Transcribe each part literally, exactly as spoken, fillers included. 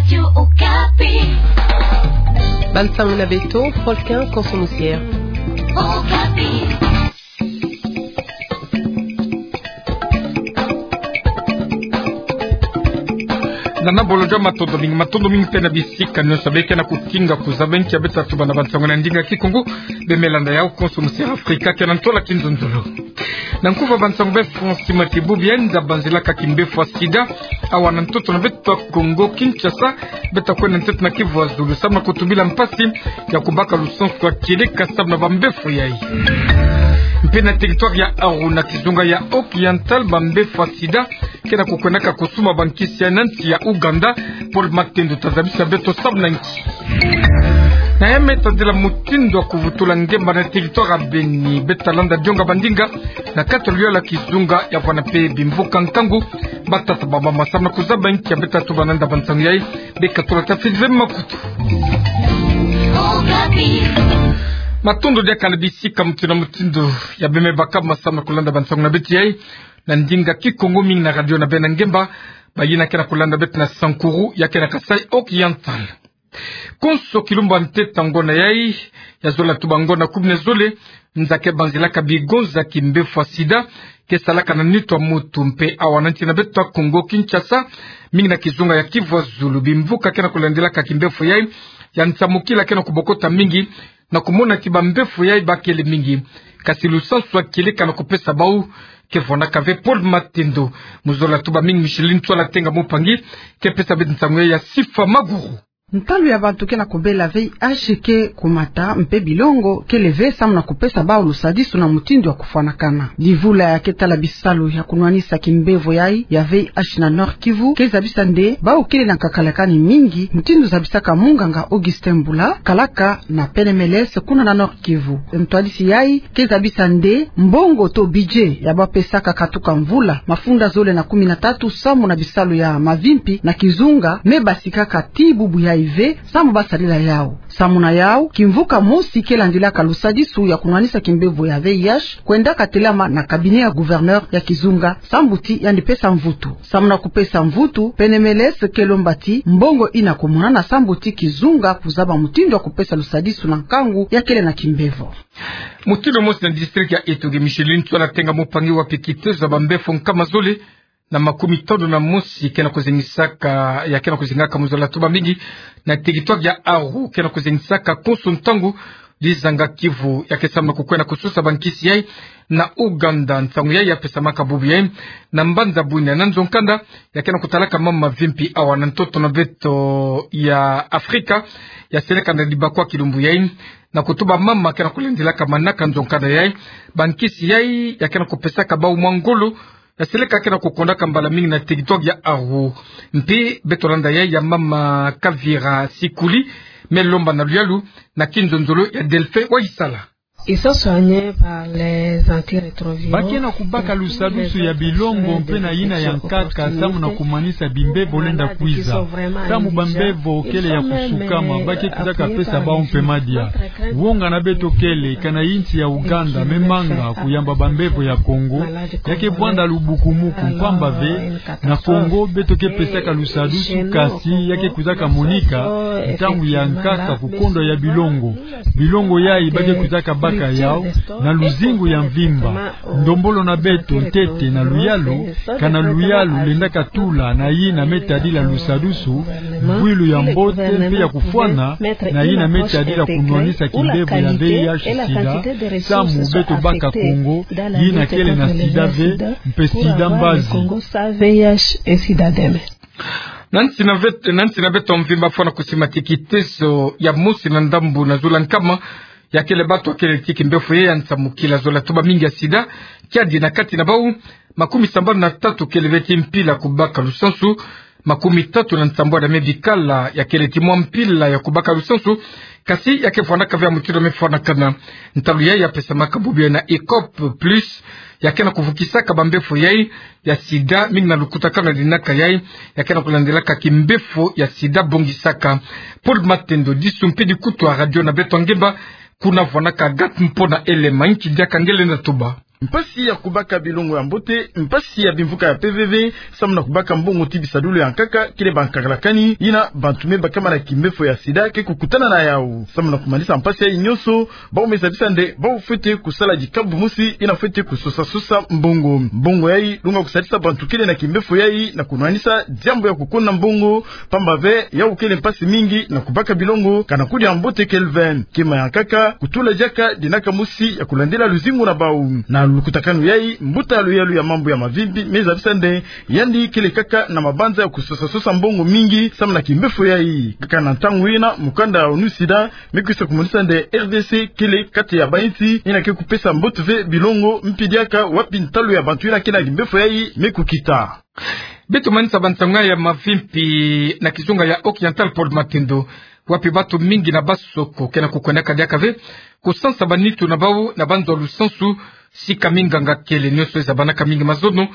Radio Okapi. Bansango na beto, Folkin Konso Musier. Okapi. Nana bolojo, matondo mingi, matondo mingi mpe na bisika nyonso beke na kukinga kuzaba nki ya beta tuba na bansango na ndinga Kikongo. Beno me landa yau Konso Musier Afrika, ke na ntola kinzonzolo. Na nkufa bansango be Francis Matibu, bie nza banzilaka kimbefo ya sida awa na ntoto na beto ya Kongo Kinshasa, beta kwenda ntete na Kivu ya Zulu, samu na kutubila mpasi ya kubaka lusansu ya kieleka samu na bambefo yai. Mpe na territoire ya Aru na kizunga ya Oriental, bambefo ya sida ke na kukwendaka kusumba bankisi yai na nsi ya Ouganda. Paul Matendo ta zabisa beto samu na nki. Na yame tadila mutindu ya kuvutula ngemba na territoire ya Beni, beta landa dionga bandinga na kati ya luyalu ya kizunga ya vwanda mpe bimvuka nkangu. Batata, bamama, samu na kuzaba nki ya beta tuba na nda bansango yai, beka tula tafiti ve makutu. Matondo diaka na bisika mutindu na mutindu ya beno me baka masamu na kulanda bansango na beto yai. Na ndinga Kikongo mingi na radio na beno na ngemba, bayina ke na kulanda beto na Sankuru, ya ke na Kasaï Oriental. Konso kilumbu ya ntete ya ngona yai, ya zola tuba ngona kumi na zole, nza ke banzilaka bigonza kimbefo ya sida ke salaka na nitu ya mutu. Mpe awa na nsi na beto ya Kongo Kinshasa, mingi na kizunga ya Kivu ya Zulu, bimvuka ke na kulandilaka kimbefo yai ya nsamukila ke na kubokota mingi, na kumona ti bambefo yai bakele mingi, kasi lusansu ya kieleka na kupesa bau ke vwandaka ve. Paul Matendo, mu zola tuba mingi, Micheline Tswala Tenga Mupangi ke pesa beto nsangu yai ya Sifa Maguru. Ntalu ya bantu ke na kubela V I H ke kumata, mpe bilongo kele ve samu na kupesa bau lusadisu na mutindu ya kufwanakana. Divula ya ke tala bisalu ya kunwanisa kimbevo yai ya V I H na Nord-Kivu ke zabisa nde bau kele na nkakalakani mingi, mutindu zabisaka munganga Augustin Mbula, kalaka na P N M L S kuna na Nord-Kivu. Ntwadisi yai ke zabisa nde mbongo to budget ya bapesaka katuka mvula mafunda zole na kumi na tatu samu na bisalu ya mavimpi na kizunga me basikaka ti bubu yai ve samu basadila yau. Samu na yau, kimvuka mosi ke landilaka lusadisu ya kunwanisa kimbevo ya V I H kwendaka telama na cabinet ya gouverneur ya kizunga, sambu ti yandi pesa mvutu. Samu na kupesa mvutu, P N M L S ke lomba ti mbongo yina kumonana sambu ti kizunga kuzaba mutindu ya kupesa lusadisu na nkangu ya kele na kimbevo. Mutindu mosi na district ya Etoile, Micheline Tswala Tenga Mupangi, wapi kitezo ya bambefo nkama zole na makumi tanu na mosi ke na kuzengisaka, ya ke na kuzengaka, mu zola tuba mingi, na territoire ya Aru, ke na kuzengisaka konso ntangu dizanga Kivu, ya ke samu na kukwenda kususa bankisi yai na Ouganda. Nsangu yai ya pesamaka bubu yai na mbanza Bunia na nzo nkanda ya ke na kutalaka mama mavimpi awa na ntoto na beto ya Afrika, ya seleka na dibakwa kilumbu yai, na kutuba mama ke na kulandilaka manaka nzo nkanda yai, bankisi yai ya ke na kupesaka bau mwa ngolo ya seleka ke na kukondaka mbala mingi na territoire ya Aru. Mpe beto landa yai ya mama Kavira Sikuli, me lomba na luyalu na kinzonzolo ya Delphin Waisala. Ils sont soignés par les antirétroviraux. Ba ke na kubaka lusadusu ya bilongo mpe na yina ya nkaka samu na kumanisa bimbevo lenda kwiza. Samu bambevo kele ya kusukama, ba ke kwizaka pesa bau mpe madia. Wonga na beto kele, kana insi ya Ouganda me manga kuyamba bambevo ya Kongo, ya ke vwanda lubukumuku, mpamba ve na Kongo beto ke pesaka lusadusu, kasi ya ke kwizaka monika ntangu ya nkaka, kukondwa ya bilongo. Bilongo yai ba ke kwizaka baka yau na luzingu ya mvimba. Ndombolo na beto ntete na luyalu, kana luyalu lendaka tula na yina me tadila lusadusu, bwilu ya mbote mpe ya kufwana na yina me tadila kunwanisa kimbevo ya V I H sida, samu beto baka Kongo, yina kele na sida ve, mpe sida mbazi. Na nsi na vet-, na nsi na beto mvimba, fwana kusimati kitezo ya mosi na ndambu na zula nkama ya kele bato ya kele ti kimbefo yai ya nsamukila, zola tuba mingi, ya sida. Kiadi na kati na bau, makumi sambanu na tatu kele ve ti mpila kubaka lusansu, makumi tatu na nsambwadi ya me bikala ya kele ti mwa mpila ya kubaka lusansu, kasi ya ke vwandaka ve ya mutindu me fwanakana. Ntalu yai ya pesamaka bubu yai na ECOP plus, ya ke na kuvukisaka bambefo yai ya sida, mingi na lukutakanu ya linaka yai ya ke na kulandilaka kimbefo ya sida bongisaka. Paul Matendo, disu mpe dikutu ya radio na beto ya ngemba, kuna vwanaka Agathe Mpona Elema. Nki diaka nge lenda tuba? Mpasi ya kubaka bilongo ya mbote, mpasi ya bimvuka ya mpeve, samu na kubaka mbongo ti bisadulu ya nkaka, kele bankakalakani yina bantu me bakama na kimbefo ya sida ke kukutana na yau. Samu na kumanisa mpasi yayi nyonso, bau me zabisa nde bau fwete kusala dikabu mosi yina fwete kusosa-sosa mbongo. Mbongo yayi longa kusalisa bantu kele na kimbefo yayi na kunwanisa diambu ya kukonda mbongo, pamba ve yau kele mpasi mingi na kubaka bilongo, kana kudia mbote kele ve. Kima ya nkaka, kutula diaka dinaka mosi ya kulandila luzingu na bau. Na lukutakanu yayi, mbuta ya luyalu ya mambu ya mavimpi me zabisa nde yandi kele kaka na mabanza ya kusosa-sosa mbongo mingi samu na kimbefo yayi. Kaka na ntangu yina, mukanda ya ONU SIDA me kwisa kumonisa nde R D C kele kati ya bainsi yina ke kupesa mbote ve bilongo, mpi diaka wapi ntalu ya bantu yina ke na kimbefo yayi me kukita. Beto manisa bansangu ya mavimpi na kizunga ya Occidental Paul Matendo, wapi bantu mingi na Basoko ke na kukwendaka diaka ve kusansa banitu na bau na banzo ya lusansu, sika minganga kele nyonso ezabanaka mingi mazono.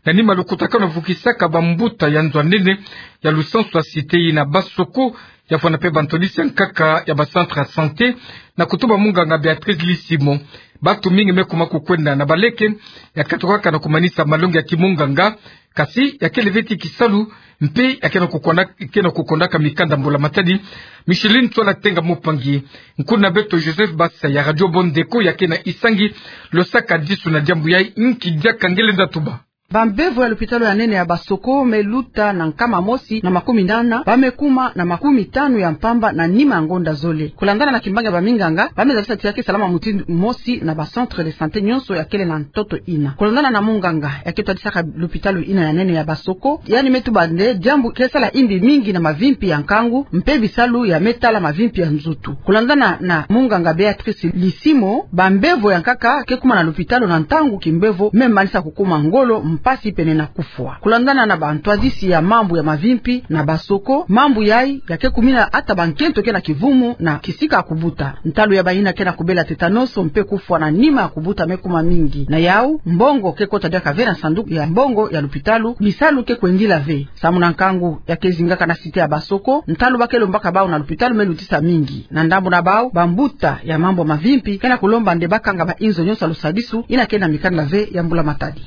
Na nima lukutakanu vukisaka bambuta ya nzo ya nene ya lusansu ya Cité yina Basoko, ya vwanda mpe bantwadisi ya nkaka ya ba centre ya santé, na kutuba munganga Béatrice Lisimo, bantu mingi me kuma kukwenda na baleke, ya katukaka na kumanisa malongi ya kimunganga, kasi ya kele ve ti kisalu, mpe ya ke na kukonda, ke na kukondaka mikanda mbula matadi. Micheline Tsola Tenga Mupangi, nkuna beto Joseph Basa ya Radio Bondeko ya ke na Isangi, losaka disu na diambu yayi, nki diaka nge lenda tuba. Bambevo ya lupitalu ya nene ya Basoko me luta na nkama mosi na makumi nana, ba me kuma na makumi tanu ya mpamba na nima ya ngonda zole. Kulandana na kimbangi ya baminganga, ba me zabisa ti ya ke salama mutindu mosi na ba centre de santé nyonso ya kele na ntoto yina. Kulandana na munganga ya ke twadisaka lupitalu yina ya nene ya Basoko, yandi me tuba nde diambu ke sala yimbi mingi na mavimpi ya nkangu, mpe bisalu ya me tala mavimpi ya nzutu. Kulandana na munganga Béatrice Lisimo, bambevo ya nkaka ke kuma na lupitalu na ntangu kimbevo me manisa kukuma ngolo, mpasi pene na kufwa. Kulandana na bantwadisi ya mambu ya mavimpi na Basoko, mambu yayi ya ke kumina ata bankento ke na kivumu na kisika ya kubuta. Ntalu ya bayina ke na kubela tétanos mpe kufwa na nima ya kubuta me kuma mingi. Na yau, mbongo ke kota diaka ve na sanduku ya mbongo ya lupitalu, bisalu ke kwendila ve. Samu na nkangu ya ke zingaka na cité ya Basoko, ntalu ba ke lombaka bau na lupitalu me lutisa mingi. Na ndambu na bau, bambuta ya mambu ya mavimpi ke na kulomba nde ba kanga ba inzo nyonso ya lusadisu yina ke na mikanda ve ya mbula matadi.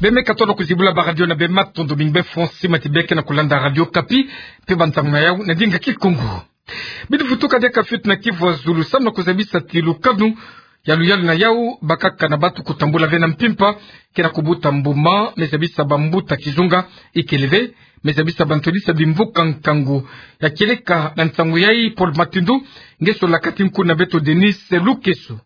Be me katono kuzibula ba radio na be, matondo mingi be fonsi mati be ke na kulanda Radio Okapi, mpe bansangu na yau na ndinga Kikongo. Bidi vutuka diaka fiote na Kivu ya Zulu, samu na kuzabisa ti lukanu ya luyalu na yau, bakaka na bantu kutambula ve na mpimpa ke na kubuta mbuma, me zabisa bambuta kizunga ikele ve, me zabisa bantwadisi ya bimvuka nkangu. Ya kieleka na nsangu yayi Paul Matendo, nge solaka ti nkuna beto Denise Lukeso.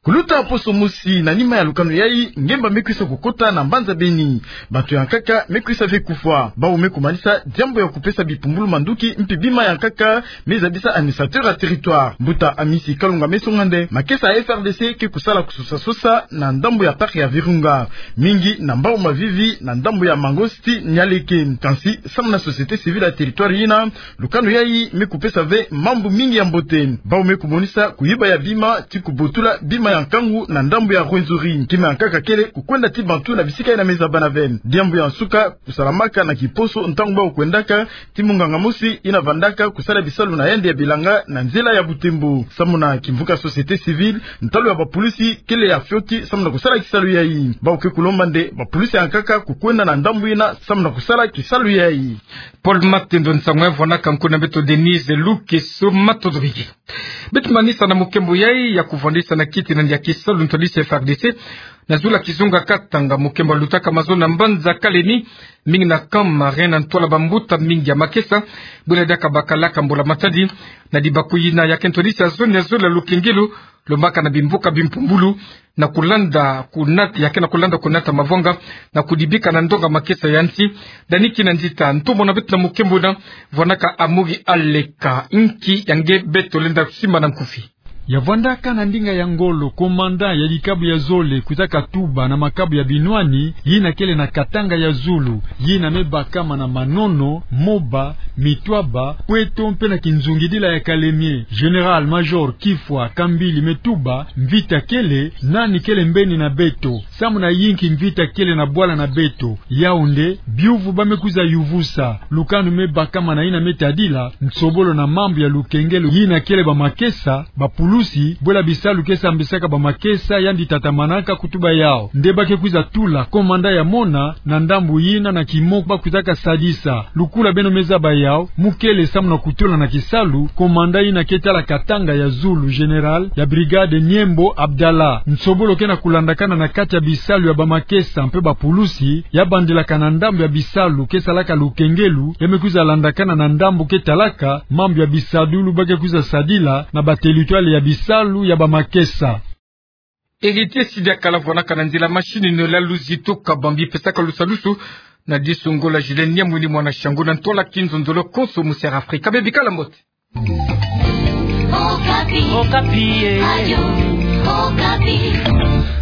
Kuluta poso mosi na nima ya lukanu yayi, ngemba me kwisa kukota na mbanza Beni. Bantu ya nkaka me kwisa ve kufwa. Bau me kumanisa diambu ya kupesa bipumbulu manduki, mpi bima ya nkaka me zabisa administrateur ya territoire. Mbuta Amisi Kalunga me songa nde makesa ya F R D C ke kusala kusosa-sosa na ndambu ya parc ya Virunga, mingi na Mbao Mavivi, na ndambu ya Mangosti Nialeke. Kansi, samu na société civile ya territoire yina, lukanu yayi me kupesa ve mambu mingi ya mbote. Bau me kumonisa kuyiba ya bima ti kubotula bima ya nkangu na ndambu ya Rwenzori. Kima ya nkaka kele kukwenda ti bantu na bisika yina me zabana ve. Diambu ya nsuka kusalamaka na kiposo ntangu bau kwendaka ti munganga mosi yina vandaka kusala bisalu na yandi ya bilanga na nzila ya Butembo. Samu na kimvuka société civile, ntalu ya bapulisi kele ya fioti samu na kusala kisalu yayi. Bau ke kulomba nde bapulisi ya nkaka kukwenda na ndambu yina samu na kusala kisalu yayi. Paul Matendo, nsangu ya vwanaka nkuna beto Denise Lukeso, matondo mingi. Beto manisa na mukembo yayi ya kuvwandisa na kiti na ndia kisalu ntwadisi F R D C na zulu ya kizunga Katanga. Mukembo lutaka mazono na mbanza Kalemi, mingi na Camp Marin, na ntwala bambuta mingi ya makesa, bwela diaka bakalaka mbula matadi, na dibaku yina ya ke ntwadisi ya zone ya zole ya Lukengelo, lombaka na bimvuka bimpumbulu, na kulanda kunata, ya ke na kulanda kunata mavwanga, na kudibika na ndonga makesa ya nsi. Dani Kinanzita, ntomo na beto na mukembo yina, vwanaka Amuri Aleka. Nki ya nge beto lenda simba na nkufi. Ya vwandaka na ndinga ya ngolo, commandant ya dikabu ya zole kwizaka tuba na makabu ya binwani yina kele na Katanga ya zulu, yina me bakama na Manono, Moba, Mitwaba, Pweto mpe na kinzungidila ya Kalemie. Général-major Kifwa Kambili me tuba, mvita kele, nani kele mbeni na beto? Samu na yinki mvita kele na bwala na beto? Yaoundé, biuvu ba me kwiza yuvusa. Lukanu me bakama na yina me tadila nsobolo na mambu ya lukengelo yina kele bamakesa, bapulusi, bwela bisalu ke sambisaka bamakesa yandi tatamanaka kutu ba yao. Nde ba ke kwiza tula komanda ya mona na ndambu yina na kimoku ba kwizaka sadisa. Lukula beno me zaba yao, mu kele samu na kutula na kisalu komanda yina ke tala Katanga ya zulu, général ya brigade Niembo Abdallah. Nsobolo ke na kulandakana na kati ya bisalu ya bamakesa mpe bapulusi, ya bandilaka na ndambu ya bisalu ke salaka lukengelo, ya me kwiza landakana na ndambu ke talaka mambu ya bisadulu ba ke kwiza sadila na bateritware ya bisalu ya bamakesa. Héritier Sidi Akala vwanaka na nzila machine, Noël Luzito Kabambi pesaka lusalusu. Na disungola Julien Nyamwini mwana Shango, na ntwala kinzonzolo konso mu Sierra Africa. Bebikala mbote. Okapi. Okapi, eh. Radio Okapi.